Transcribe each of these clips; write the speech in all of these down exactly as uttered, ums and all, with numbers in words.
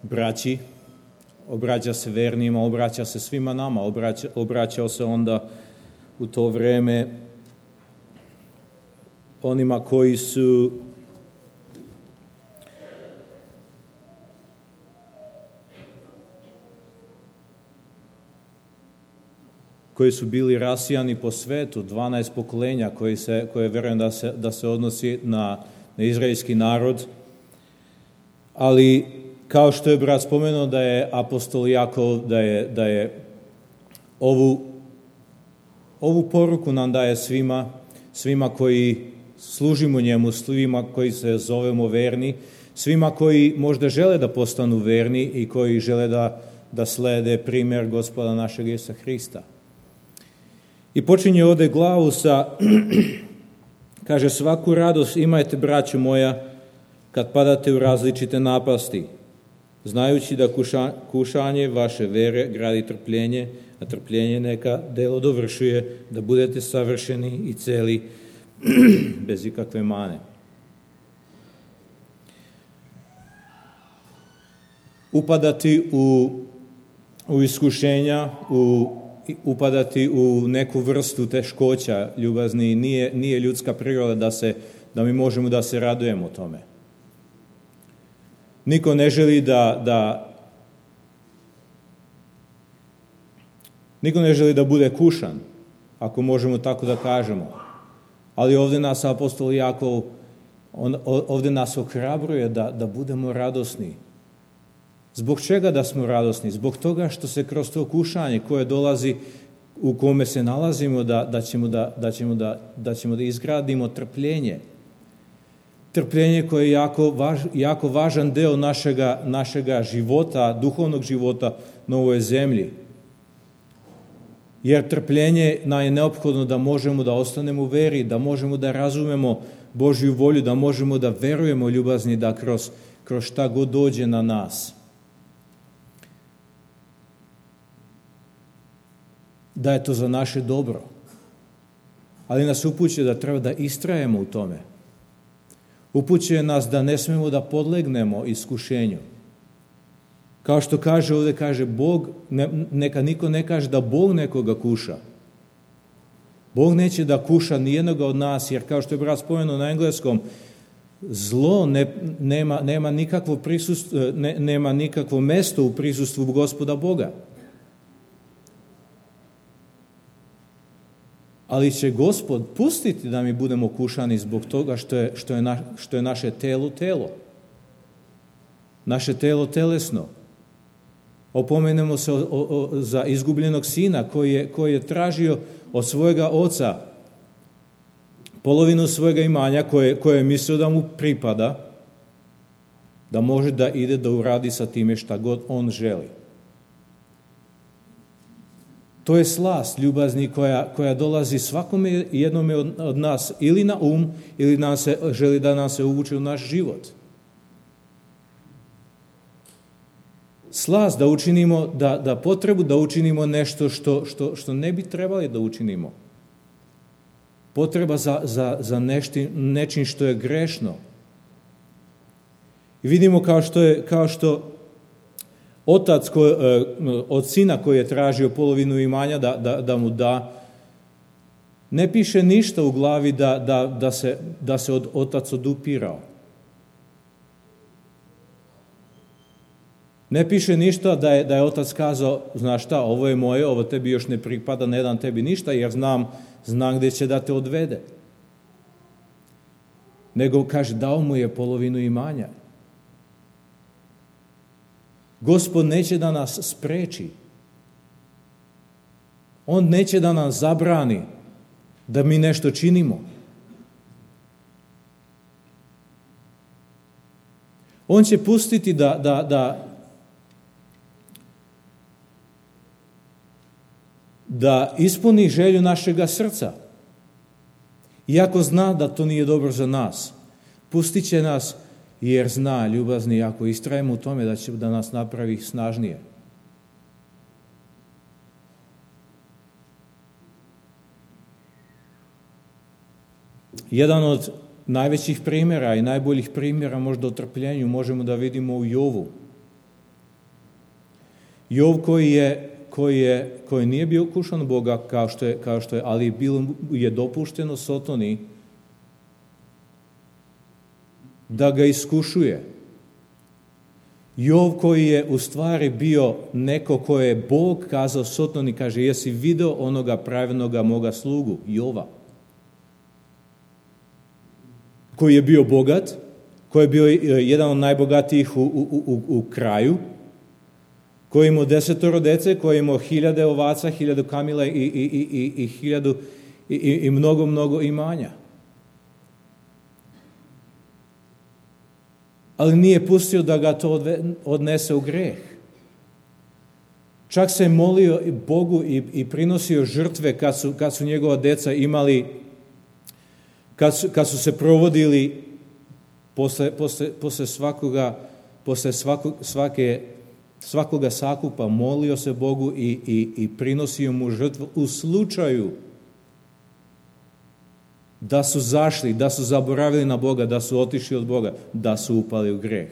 braći, obraća se vernima, obraća se svima nama, obraća, obraćao se onda u to vreme onima koji su koji su bili rasijani po svetu, dvanaest pokolenja koji se, koje verujem da se, da se odnosi na, na izraelski narod. Ali kao što je brat spomenuo da je apostol Jakov, da je, da je ovu, ovu poruku nam daje svima, svima koji služimo njemu, svima koji se zovemo verni, svima koji možda žele da postanu verni i koji žele da, da slede primjer Gospoda našeg Isusa Hrista. I počinje ovdje glavu sa, kaže, svaku radost imajte, braćo moja, kad padate u različite napasti, znajući da kuša, kušanje vaše vere gradi trpljenje, a trpljenje neka delo dovršuje, da budete savršeni i celi, bez ikakve mane. Upadati u, u iskušenja, u upadati u neku vrstu teškoća, ljubazni, nije, nije ljudska priroda da, se, da mi možemo da se radujemo tome. Niko ne želi da, da niko ne želi da bude kušan, ako možemo tako da kažemo. Ali ovdje nas apostol Jakov, on, ovdje nas ohrabruje da, da budemo radosni. Zbog čega da smo radosni? Zbog toga što se kroz to kušanje koje dolazi, u kome se nalazimo, da, da, ćemo, da, da, ćemo, da, da ćemo da izgradimo trpljenje. Trpljenje koje je jako, važ, jako važan deo našega, našega života, duhovnog života na ovoj zemlji. Jer trpljenje nam je neophodno da možemo da ostanemo u veri, da možemo da razumemo Božju volju, da možemo da verujemo ljubazni, da kroz, kroz šta god dođe na nas. Da je to za naše dobro. Ali nas upućuje da treba da istrajemo u tome. Upućuje nas da ne smemo da podlegnemo iskušenju. Kao što kaže ovdje, kaže Bog, ne, neka niko ne kaže da Bog nekoga kuša. Bog neće da kuša nijednoga od nas, jer kao što je brat spomenuo na engleskom, zlo ne, nema, nema, nikakvo prisust, ne, nema nikakvo mesto u prisustvu Gospoda Boga. Ali će Gospod pustiti da mi budemo kušani zbog toga što je, što je, na, što je naše telo telo. Naše telo telesno. Opomenemo se o, o, o, za izgubljenog sina koji je, koji je tražio od svojega oca polovinu svojega imanja koje, koje je mislio da mu pripada, da može da ide da uradi sa time šta god on želi. To je slast ljubazni koja, koja dolazi svakome jednome od, od nas ili na um, ili nam se, želi da nam se uvuče u naš život. Slast da učinimo, da, da potrebu da učinimo nešto što, što, što ne bi trebali da učinimo. Potreba za, za, za nešti, nečim što je grešno. I vidimo kao što je, kao što otac ko, od sina koji je tražio polovinu imanja da, da, da mu da, ne piše ništa u glavi da, da, da se, da se od, otac odupirao. Ne piše ništa da je, da je otac kazao, znaš šta, ovo je moje, ovo tebi još ne pripada, ne dam tebi ništa, jer znam, znam gdje će da te odvede. Nego kaže, dao mu je polovinu imanja. Gospod neće da nas spreči. On neće da nam zabrani da mi nešto činimo. On će pustiti da, da, da, da ispuni želju našega srca. Iako zna da to nije dobro za nas, pustit će nas jer zna, ljubazni, ako istrajemo u tome da će da nas napravi snažnije. Jedan od najvećih primjera i najboljih primjera možda o trpljenju možemo da vidimo u Jovu. Jov koji je, koji je, koji nije bio kušan Boga kao što je, kao što je, ali bilo je dopušteno Sotoni da ga iskušuje. Jov koji je u stvari bio neko koje je Bog kazao Sotoni, kaže, jesi video onoga pravednoga moga slugu, Jova, koji je bio bogat, koji je bio jedan od najbogatijih u, u, u, u kraju, koji je imao desetoro dece, koji je imao hiljade ovaca, hiljadu kamila i, i, i, i, i hiljadu i, i, i mnogo, mnogo imanja. Ali nije pustio da ga to odnese u greh. Čak se je molio Bogu i, i prinosio žrtve kad su, kad su njegova deca imali, kad su, kad su se provodili posle, posle, posle svakoga, posle svako, svake, svakoga sakupa, molio se Bogu i, i, i prinosio mu žrtvu u slučaju da su zašli, da su zaboravili na Boga, da su otišli od Boga, da su upali u greh.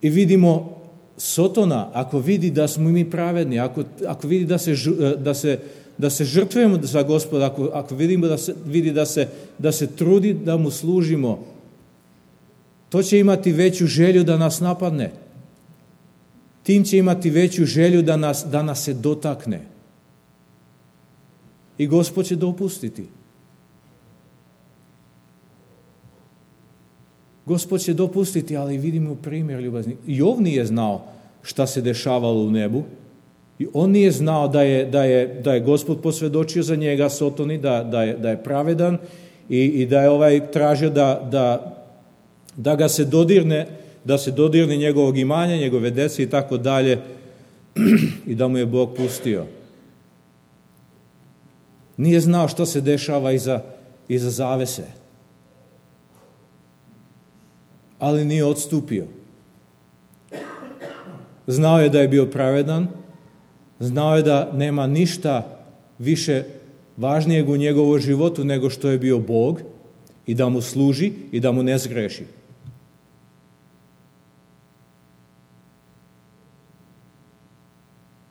I vidimo Sotona, ako vidi da smo mi pravedni, ako, ako vidi da se, da se, da se žrtvujemo za Gospoda, ako, ako vidimo da se, vidi da se, da se trudi da mu služimo, to će imati veću želju da nas napadne. Tim će imati veću želju da nas, da nas se dotakne. I Gospod će dopustiti. Gospod će dopustiti, ali vidimo primjer ljubazni. Jov nije znao šta se dešavalo u nebu. I on nije znao da je, da je, da je Gospod posvjedočio za njega Sotoni, da, da, je, da je pravedan i, i da je ovaj tražio da, da, da ga se dodirne, da se dodirne njegovog imanja, njegove dece i tako dalje, i da mu je Bog pustio. Nije znao što se dešava iza, iza zavese. Ali nije odstupio. Znao je da je bio pravedan, znao je da nema ništa više važnijeg u njegovom životu nego što je bio Bog i da mu služi i da mu ne zgreši.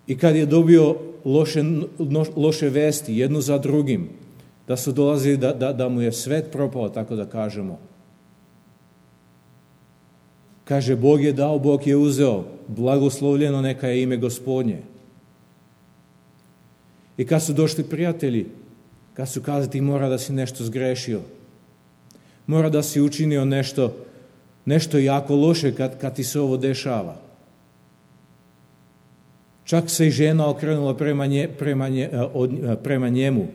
I kad je dobio loše, loše vesti, jednu za drugim, da su dolazili da, da, da mu je svet propao, tako da kažemo. Kaže, Bog je dao, Bog je uzeo, blagoslovljeno neka je ime Gospodnje. I kad su došli prijatelji, kad su kazali, ti mora da si nešto zgrešio, mora da si učinio nešto, nešto jako loše kad, kad ti se ovo dešava. Čak se i žena okrenula prema, nje, prema, nje, od, prema njemu,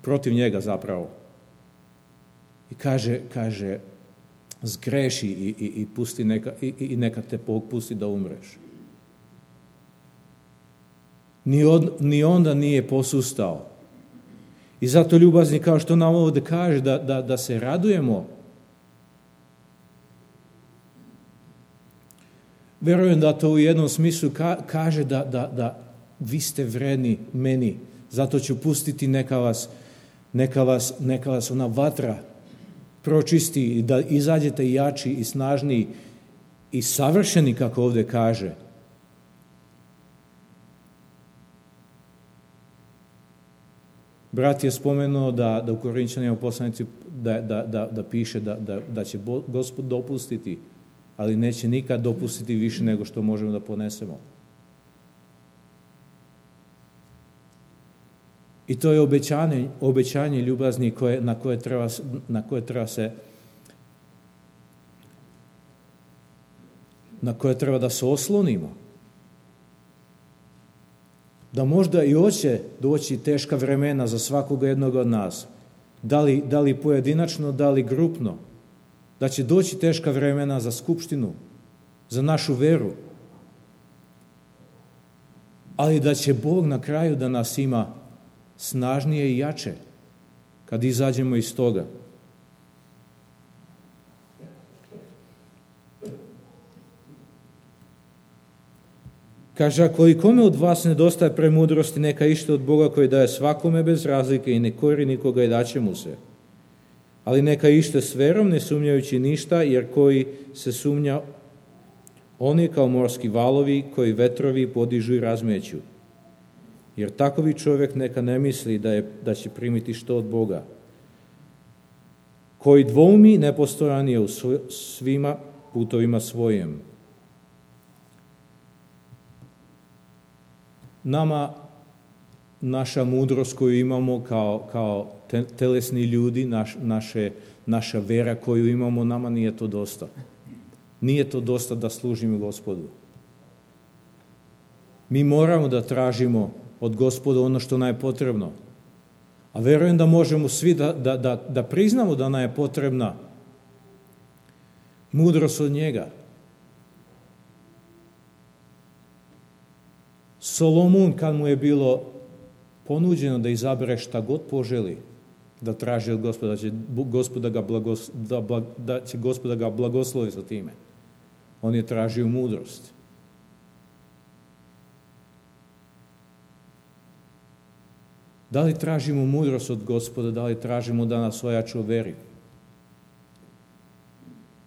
protiv njega zapravo. I kaže, kaže zgreši i, i, i, pusti neka, i, i neka te Bog pusti da umreš. Ni, od, ni onda nije posustao. I zato ljubazni, kao što nam ovdje kaže, da, da, da se radujemo. Verujem da to u jednom smislu ka, kaže da, da, da vi ste vredni meni, zato ću pustiti neka vas, neka vas, neka vas ona vatra pročisti, da izađete jači i snažniji i savršeni, kako ovdje kaže. Brat je spomenuo da, da u Korinčanima poslanici da, da, da, da piše da, da, da će Gospod dopustiti, ali neće nikad dopustiti više nego što možemo da ponesemo. I to je obećanje, obećanje ljubazni koje, na, koje treba, na koje treba se na koje treba da se oslonimo. Da možda i hoće doći teška vremena za svakoga jednog od nas, da li, da li pojedinačno, da li grupno, da će doći teška vremena za skupštinu, za našu veru, ali da će Bog na kraju da nas ima snažnije i jače kad izađemo iz toga. Kaže, ako i kome od vas nedostaje premudrosti, neka ište od Boga koji daje svakome bez razlike i ne kori nikoga i daće mu se. Ali neka ište s verom, ne sumnjajući ništa, jer koji se sumnja, on je kao morski valovi koji vetrovi podižu i razmeću. Jer takovi čovjek neka ne misli da, je, da će primiti što od Boga. Koji dvoumi, nepostojan je u svima putovima svojim. Nama naša mudrost koju imamo kao, kao te, telesni ljudi, naš, naše, naša vera koju imamo, nama nije to dosta. Nije to dosta da služimo Gospodu. Mi moramo da tražimo od Gospoda ono što nam je potrebno. A verujem da možemo svi da, da, da, da priznamo da nam je potrebna mudrost od njega. Solomon, kad mu je bilo ponuđeno da izabere šta god poželi, da traži od Gospoda, da će Gospoda ga, blagos, da, blag, da će Gospoda ga blagoslovi sa time. On je tražio mudrost. Da li tražimo mudrost od Gospoda, da li tražimo da nas ojača u veri?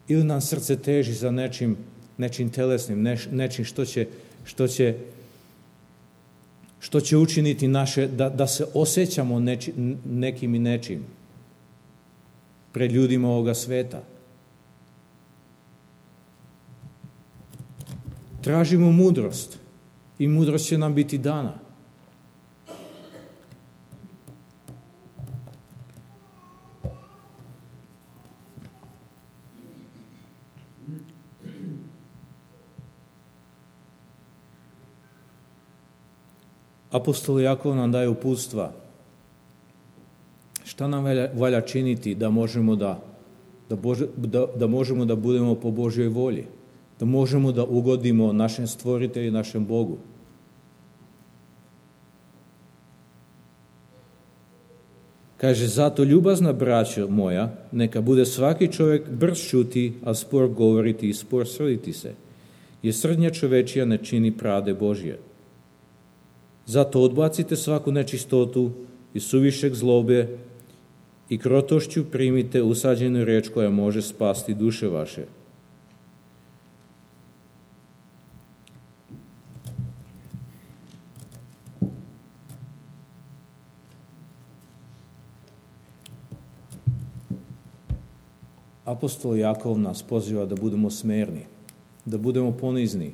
Ili nam srce teži za nečim, nečim telesnim, neš, nečim što će, što će, što će učiniti naše, da, da se osjećamo neči, nekim i nečim pred ljudima ovoga sveta. Tražimo mudrost i mudrost će nam biti dana. Apostol Jakov nam daje uputstva. Šta nam valja, valja činiti da možemo da, da, Bože, da, da možemo da budemo po Božjoj volji, da možemo da ugodimo našem stvoritelju i našem Bogu. Kaže, zato ljubazna braćo moja, neka bude svaki čovjek brz čuti, a spor govoriti i spor srditi se, jer srdnja čovečija ne čini pravde Božje. Zato odbacite svaku nečistotu i suvišeg zlobe i krotošću primite usađenu riječ koja može spasti duše vaše. Apostol Jakov nas poziva da budemo smerni, da budemo ponizni,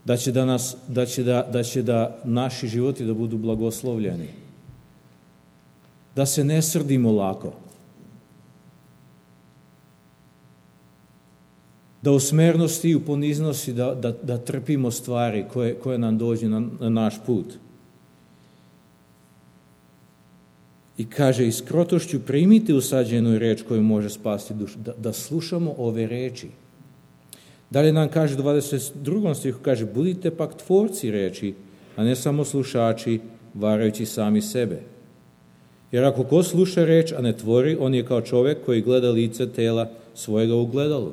da će da, nas, da, će da, da će da naši životi da budu blagoslovljeni, da se ne srdimo lako, da u smernosti i u poniznosti da, da, da trpimo stvari koje, koje nam dođu na, na naš put. I kaže, i s krotošću primite usađenu reč koju može spasti dušu, da, da slušamo ove reči. Dalje nam kaže u dvadeset drugom stihu, kaže, budite pak tvorci reči, a ne samo slušači, varajući sami sebe. Jer ako ko sluša reč, a ne tvori, on je kao čovjek koji gleda lice tela svojega u gledalu.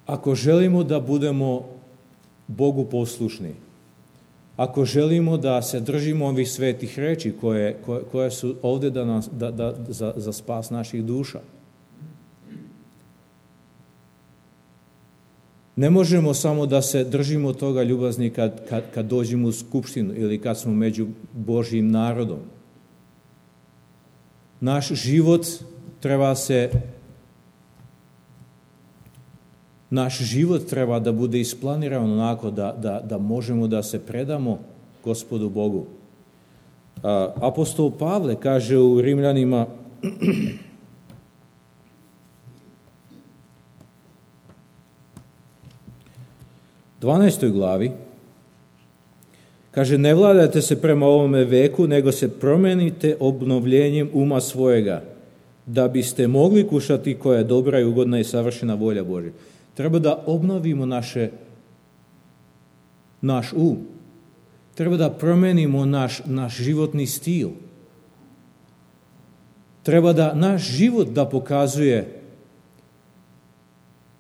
Ako želimo da budemo Bogu poslušni, ako želimo da se držimo ovih svetih reči koje, koje, koje su ovdje da nas, da, da, za, za spas naših duša, ne možemo samo da se držimo toga ljubazni kad, kad, kad dođemo u skupštinu ili kad smo među Božjim narodom. Naš život treba se Naš život treba da bude isplaniran onako da, da, da možemo da se predamo Gospodu Bogu. Apostol Pavle kaže u Rimljanima dvanaestoj glavi, kaže, ne vladajte se prema ovome veku, nego se promenite obnovljenjem uma svojega, da biste mogli kušati koja je dobra i ugodna i savršena volja Božja. Treba da obnovimo naše, naš um. Treba da promenimo naš, naš životni stil. Treba da naš život da pokazuje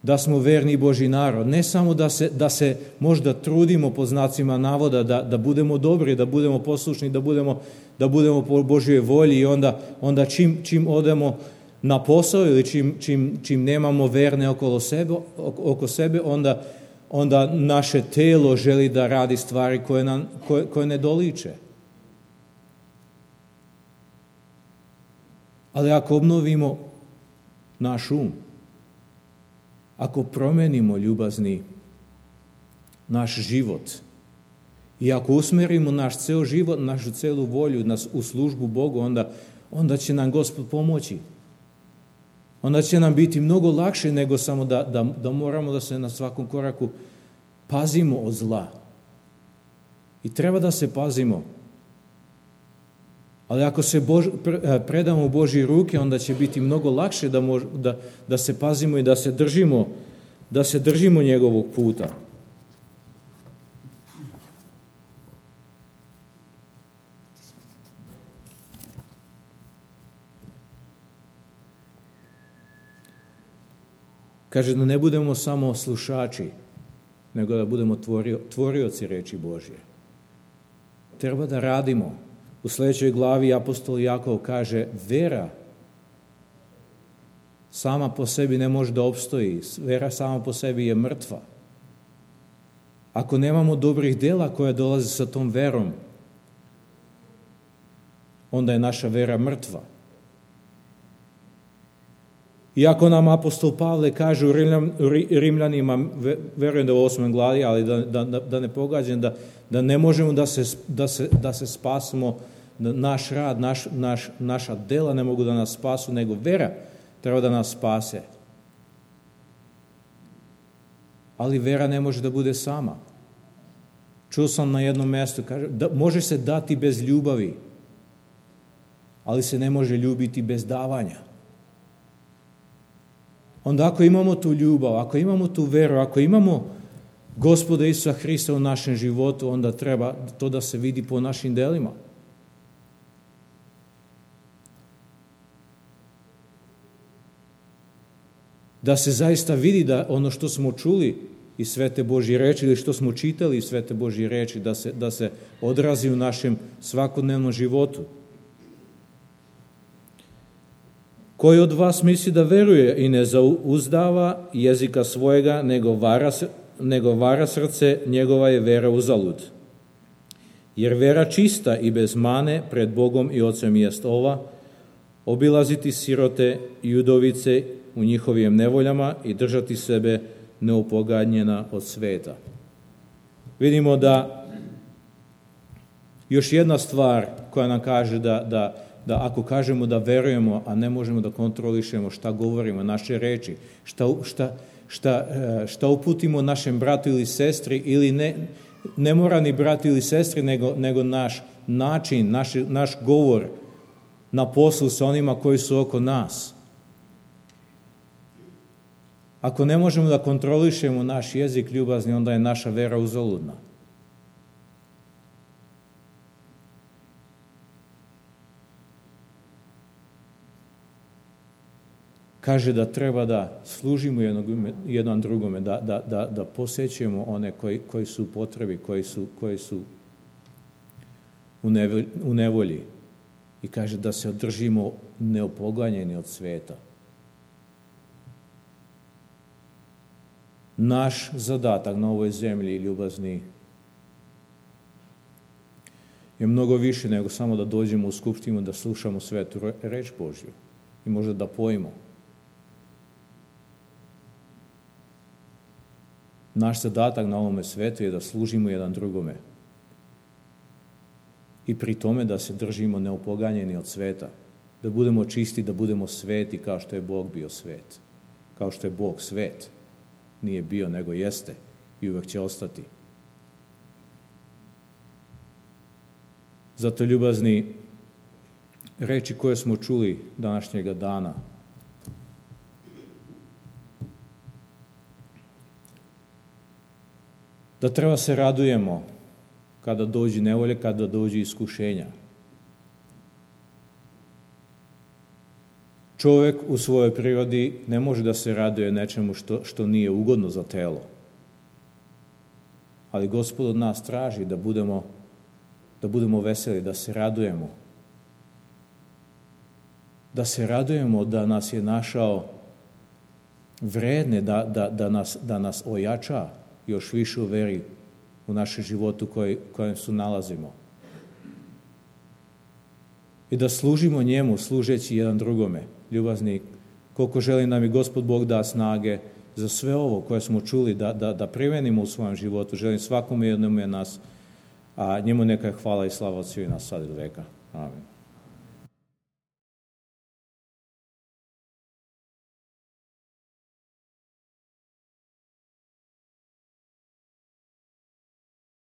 da smo verni Božji narod. Ne samo da se, da se možda trudimo po znacima navoda, da, da budemo dobri, da budemo poslušni, da budemo, da budemo po Božjoj volji i onda, onda čim, čim odemo na posao ili čim, čim, čim nemamo verne okolo sebe, oko sebe, onda, onda naše telo želi da radi stvari koje, nam, koje, koje ne doliče. Ali ako obnovimo naš um, ako promenimo, ljubazni, naš život i ako usmerimo naš ceo život, našu celu volju nas u službu Bogu, onda, onda će nam Gospod pomoći. Onda će nam biti mnogo lakše nego samo da, da, da moramo da se na svakom koraku pazimo od zla. I treba da se pazimo. Ali ako se Bož, predamo u Božje ruke, onda će biti mnogo lakše da, mož, da, da se pazimo i da se držimo, da se držimo njegovog puta. Kaže da ne budemo samo slušači, nego da budemo tvorio, tvorioci reči Božje. Treba da radimo. U sljedećoj glavi apostol Jakov kaže, vera sama po sebi ne može da opstoji. Vera sama po sebi je mrtva. Ako nemamo dobrih dela koja dolaze sa tom verom, onda je naša vera mrtva. Iako nam apostol Pavle kaže u Rimljanima, verujem da u osmoj glavi, ali da, da, da ne pogađam, da, da ne možemo da se, da se, da se spasimo, naš rad, naš, naš, naša dela ne mogu da nas spasu, nego vera treba da nas spase. Ali vera ne može da bude sama. Čuo sam na jednom mjestu, kaže, da, može se dati bez ljubavi, ali se ne može ljubiti bez davanja. Onda ako imamo tu ljubav, ako imamo tu veru, ako imamo Gospoda Isusa Hrista u našem životu, onda treba to da se vidi po našim delima. Da se zaista vidi da ono što smo čuli iz Svete Božje reči ili što smo čitali iz Svete Božje reči, da se, da se odrazi u našem svakodnevnom životu. Koji od vas misli da veruje i ne zauzdava jezika svojega, nego vara, nego vara srce, njegova je vera uzalud. Jer vera čista i bez mane pred Bogom i Ocem jest ova, obilaziti sirote i udovice u njihovim nevoljama i držati sebe neupoganjena od sveta. Vidimo da još jedna stvar koja nam kaže da, da da ako kažemo da verujemo, a ne možemo da kontrolišemo šta govorimo, naše reči, šta, šta, šta, šta uputimo našem bratu ili sestri, ili ne, ne mora ni brat ili sestri, nego, nego naš način, naš, naš govor na poslu sa onima koji su oko nas. Ako ne možemo da kontrolišemo naš jezik ljubazni, onda je naša vera uzaludna. Kaže da treba da služimo jednog, jedan drugome, da, da, da, da posjećujemo one koji, koji su u potrebi, koji su, koji su u, nevolji, u nevolji. I kaže da se održimo neopoganjeni od sveta. Naš zadatak na ovoj zemlji, ljubazni, je mnogo više nego samo da dođemo u skupštinu, da slušamo svetu reč Božju i možda da pojmo. Naš zadatak na ovome svetu je da služimo jedan drugome. I pri tome da se držimo neopoganjeni od sveta. Da budemo čisti, da budemo sveti kao što je Bog bio svet. Kao što je Bog svet. Nije bio, nego jeste. I uvek će ostati. Zato, ljubazni, reči koje smo čuli današnjega dana, da treba se radujemo kada dođu nevolje, kada dođu iskušenja. čovjek u svojoj prirodi ne može da se raduje nečemu što, što nije ugodno za telo. Ali Gospod od nas traži da budemo, da budemo veseli, da se radujemo. Da se radujemo da nas je našao vredne, da, da, da, nas, da nas ojača još više u veri u našem životu koji, kojem se nalazimo. I da služimo njemu, služeći jedan drugome. Ljubazni, koliko želi nam i Gospod Bog da snage za sve ovo koje smo čuli, da, da, da primenimo u svojem životu. Želim svakome jednom je nas, a njemu neka je hvala i slava od svih nas sad i do veka. Amen.